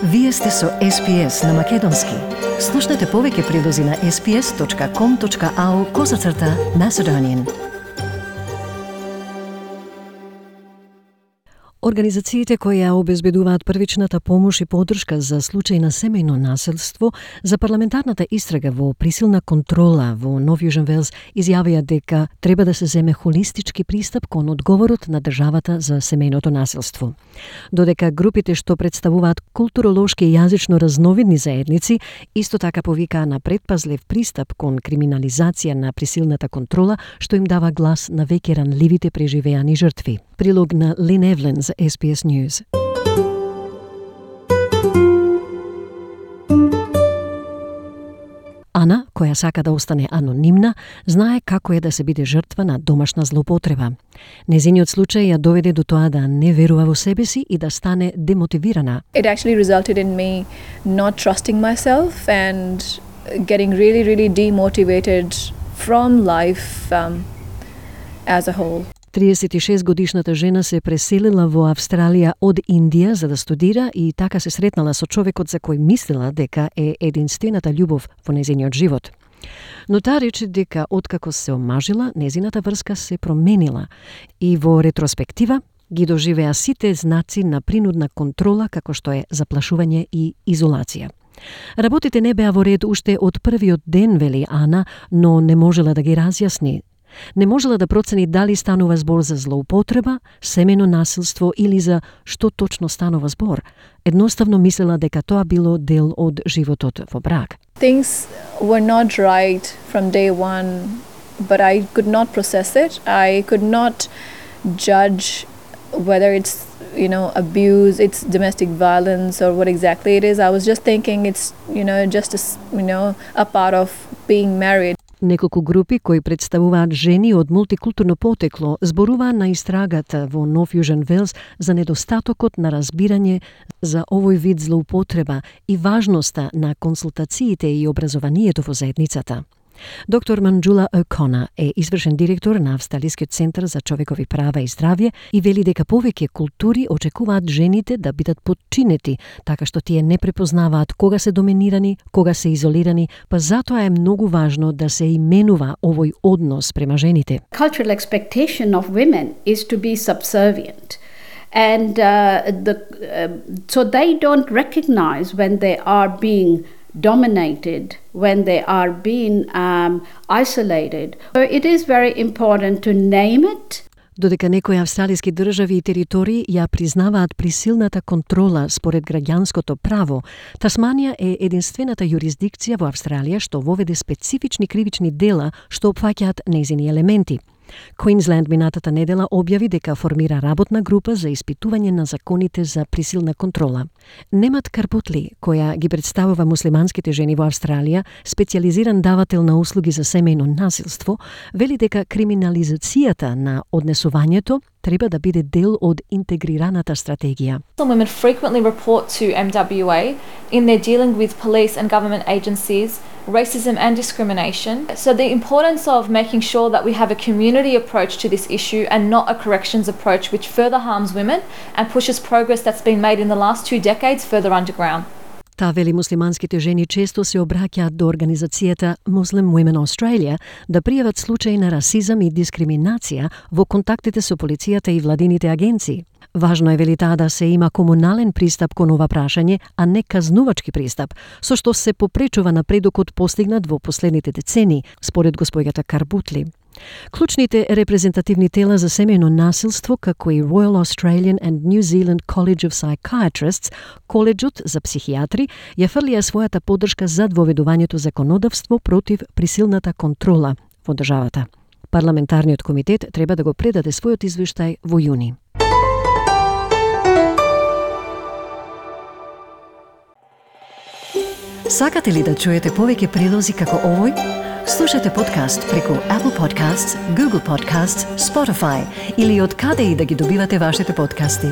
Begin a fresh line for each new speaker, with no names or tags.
Вие сте со SPS на Македонски. Слушнете повеќе прилози на sps.com.au/Macedonian. Организациите кои ја обезбедуваат првичната помош и поддршка за случај на семејно насилство за парламентарната истрага во присилна контрола во Нов Јужен Велс изјавија дека треба да се земе холистички пристап кон одговорот на државата за семејното насилство. Додека групите што представуваат културолошки и јазично разновидни заедници исто така повикаа на предпазлив пристап кон криминализација на присилната контрола што им дава глас на веќе ранливите преживеани жртви. Прилог на Лин Евлин за SBS News. Ана, која сака да остане анонимна, знае како е да се биде жртва на домашна злоупотреба. Незиниот случај ја доведе до тоа да не верува во себе си и да стане демотивирана.
It actually resulted in me not trusting myself and getting really demotivated from life as a whole.
36-годишната жена се преселила во Австралија од Индија за да студира и така се сретнала со човекот за кој мислела дека е единствената љубов во незиниот живот. Но таа рече дека откако се омажила, незината врска се променила и во ретроспектива ги доживеа сите знаци на принудна контрола како што е заплашување и изолација. Работите не беа во ред уште од првиот ден, вели Ана, но не можела да ги разјасни. Не можела да процени дали станува збор за злоупотреба, семејно насилство или за што точно станува збор. Едноставно мислела дека тоа било дел од животот во брак.
Things were not right from day one, but I could not process it. I could not judge whether it's, abuse, it's domestic violence or what exactly it is. I was just thinking it's, just a part of being married.
Неколку групи кои представуваат жени од мултикултурно потекло зборуваа на истрагата во Нов Јужен Велс за недостатокот на разбирање за овој вид злоупотреба и важноста на консултациите и образованието во заедницата. Доктор Манджула О'Кона е извршен директор на Австралискиот центар за човекови права и здравје и вели дека повеќе култури очекуваат жените да бидат подчинети, така што тие не препознаваат кога се доминирани, кога се изолирани, па затоа е многу важно да се именува овој однос према жените.
Cultural expectation of women is to be subservient. And so they don't recognize when they are being dominated, when they are being isolated. So it is very important to name it.
Додека некои австралиски држави и територии ја признаваат присилната контрола според граѓанското право, Тасманија е единствената јурисдикција во Австралија што воведе специфични кривични дела што опфаќаат нејзини елементи. Квинсленд минатата недела објави дека формира работна група за испитување на законите за присилна контрола. Немат Карпутли, која ги представува муслиманските жени во Австралија, специјализиран давател на услуги за семејно насилство, вели дека криминализацијата на однесувањето треба да биде дел од интегрираната стратегија.
Women frequently report to MWA in their dealing with police and government agencies, racism and discrimination. So the importance of making sure that we have a community approach to this issue and not a corrections approach which further harms women and pushes progress that's been made in the last 2 decades further underground.
Таа вели муслиманските жени често се обраќаат до организацијата Muslim Women Australia да пријават случаи на расизам и дискриминација во контактите со полицијата и владините агенции. Важно е, вели таа, да се има комунален пристап кон ова прашање, а не казнувачки пристап, со што се попречува напредокот постигнат во последните децени, според госпоѓата Карбутли. Клучните репрезентативни тела за семејно насилство, како и Royal Australian and New Zealand College of Psychiatrists, коледжот за психијатри, ја фрлија својата поддршка за воведувањето законодавство против присилната контрола во државата. Парламентарниот комитет треба да го предаде својот извештај во јуни. Сакате ли да чуете повеќе прилози како овој? Слушате подкаст преку Apple Podcasts, Google Podcasts, Spotify или од каде и да ги добивате вашите подкасти.